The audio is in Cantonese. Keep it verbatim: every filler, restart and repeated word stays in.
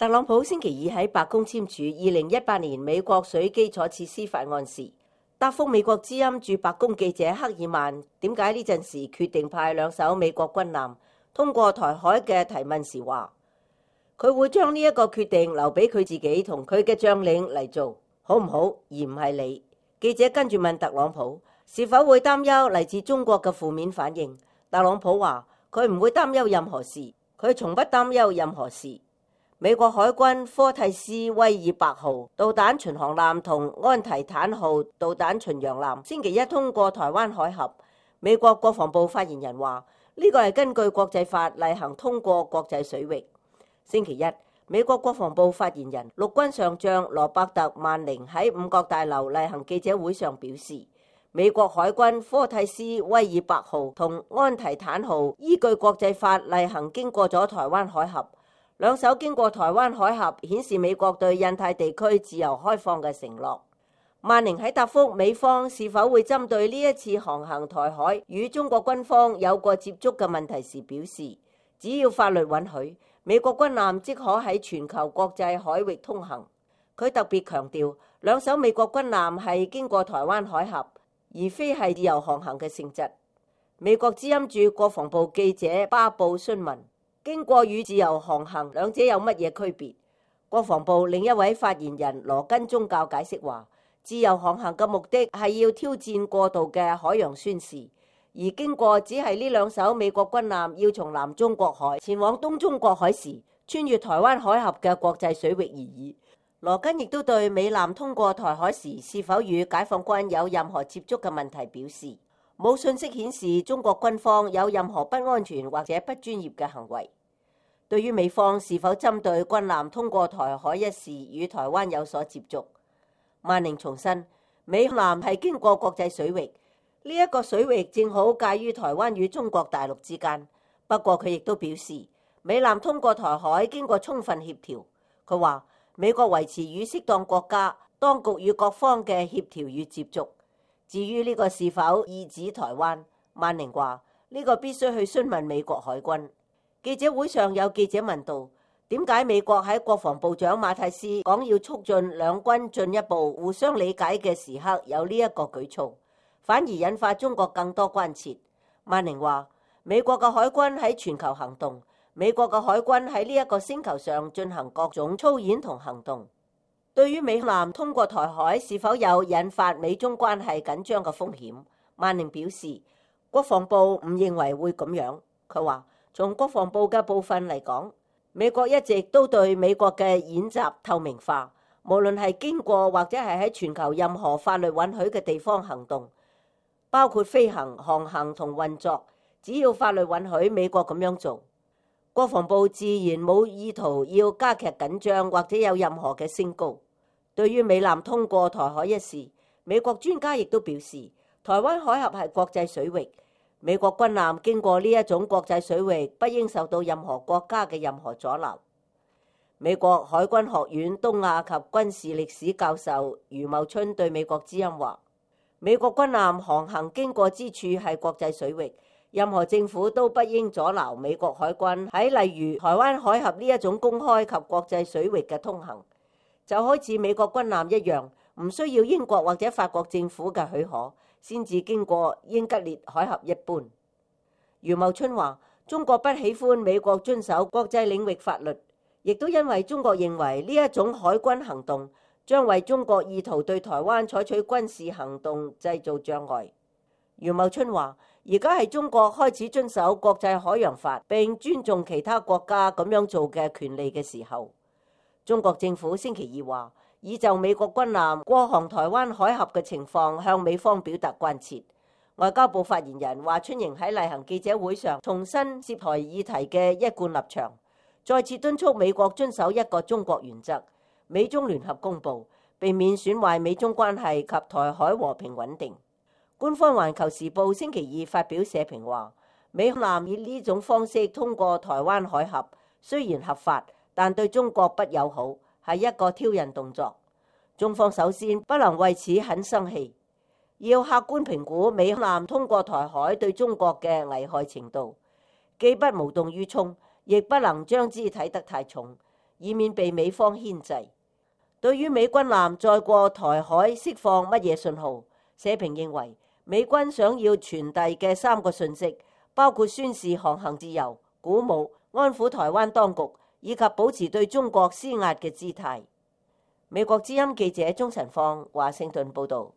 特朗普星期二喺白宮簽署二零一八年美國水基礎設施法案時，答覆美國之音駐白宮記者克爾曼點解呢陣時決定派兩艘美國軍艦通過台海嘅提問時話，佢會將呢一個決定留俾佢自己同佢嘅將領嚟做，好唔好？而唔係你。記者跟住問特朗普是否會擔憂嚟自中國嘅負面反應。特朗普話佢唔會擔憂任何事，佢從不擔憂任何事。美國海軍科蒂斯威爾伯號導彈巡航艦同安提坦號導彈巡洋艦星期一通過台灣海峽。美國國防部發言人話呢個係根據國際法例行通過國際水域。星期一，美國國防部發言人陸軍上將羅伯特萬寧喺五角大樓例行記者會上表示，美國海軍科蒂斯威爾伯號同安提坦號依據國際法例行經過咗台灣海峽。兩艘經過台灣海峽，顯示美國對印太地區自由開放嘅承諾。萬寧喺答覆美方是否會針對呢一次航行台海與中國軍方有過接觸嘅問題時表示，只要法律允許，美國軍艦即可喺全球國際海域通行。佢特別強調，兩艘美國軍艦係經過台灣海峽，而非係自由航行嘅性質。美國之音駐國防部記者巴布詢問，經過與自由航行兩者有乜嘢區別？國防部另一位發言人羅根宗教解釋話，自由航行嘅目的係要挑戰過度嘅海洋宣示，而經過只係呢兩艘美國軍艦要從南中國海前往東中國海時，穿越台灣海峽嘅國際水域而已。羅根亦都對美艦通過台海時是否與解放軍有任何接觸嘅問題表示，冇信息顯示中國軍方有任何不安全或者不專業嘅行為。對於美方是否針對軍艦通過台海一事與台灣有所接觸，萬寧重申，美艦係經過國際水域，呢一個水域正好介於台灣與中國大陸之間。不過佢亦都表示，美艦通過台海經過充分協調。佢話美國維持與適當國家當局與各方嘅協調與接觸。至於呢個是否意指台灣，萬寧話呢個必須去詢問美國海軍。記者會上有記者問到，點解美國喺國防部長馬蒂斯講要促進兩軍進一步互相理解嘅時刻有呢一個舉措，反而引發中國更多關切？萬寧話美國嘅海軍喺全球行動，美國嘅海軍喺呢一個星球上進行各種操演同行動。對於美艦通過台海是否有引發美中關係緊張嘅風險，萬寧表示國防部唔認為會咁樣。佢話從國防部嘅部分嚟講，美國一直都對美國嘅演習透明化，無論係經過或者係喺全球任何法律允許嘅地方行動，包括飛行、航行同運作，只要法律允許美國咁樣做。國防部自然冇意圖要加劇緊張或者有任何嘅升高。對於美艦通過台海一事，美國專家亦都表示，台灣海峽係國際水域，美國軍艦經過呢一種國際水域，不應受到任何國家嘅任何阻撓。美國海軍學院東亞及軍事歷史教授余茂春對美國之音話，美國軍艦航行經過之處係國際水域，任何政府都不應阻撓美國海軍喺例如台灣海峽呢一種公開及國際水域嘅通行，就好似美國軍艦一樣，唔需要英國或者法國政府嘅許可先至經過英吉利海峽一般。余茂春話，中國不喜歡美國遵守國際領域法律，亦都因為中國認為呢一種海軍行動將為中國意圖對台灣採取軍事行動製造障礙。余茂春話，而家係中國開始遵守國際海洋法並尊重其他國家咁樣做嘅權利嘅時候。中國政府星期二話，已就美國軍艦過航台灣海峽嘅情況向美方表達關切。外交部發言人華春瑩喺例行記者會上重申涉台議題嘅一貫立場，再次敦促美國遵守一個中國原則、美中聯合公報，避免損壞美中關係及台海和平穩定。官方環球時報星期二發表社評話，美艦以呢種方式通過台灣海峽，雖然合法，但對中國不友好，係一個挑釁動作。中方首先不能為此很生氣，要客觀評估美艦通過台海對中國嘅危害程度，既不無動於衷，亦不能將之睇得太重，以免被美方牽制。對於美軍艦再過台海釋放乜嘢信號，社評認為美軍想要傳遞嘅三個訊息，包括宣示航行自由、鼓舞、安撫台灣當局，以及保持對中國施壓嘅姿態。美國之音記者鍾晨放華盛頓報道。